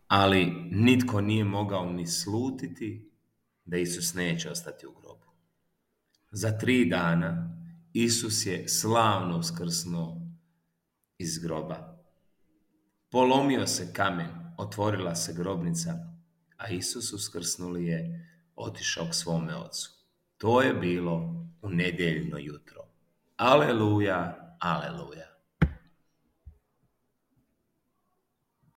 ali nitko nije mogao ni slutiti da Isus neće ostati u grobu. Za 3 dana Isus je slavno uskrsnuo iz groba. Polomio se kamen, otvorila se grobnica, a Isus uskrsnuli je otišao k svome ocu. To je bilo u nedjeljno jutro. Aleluja, aleluja.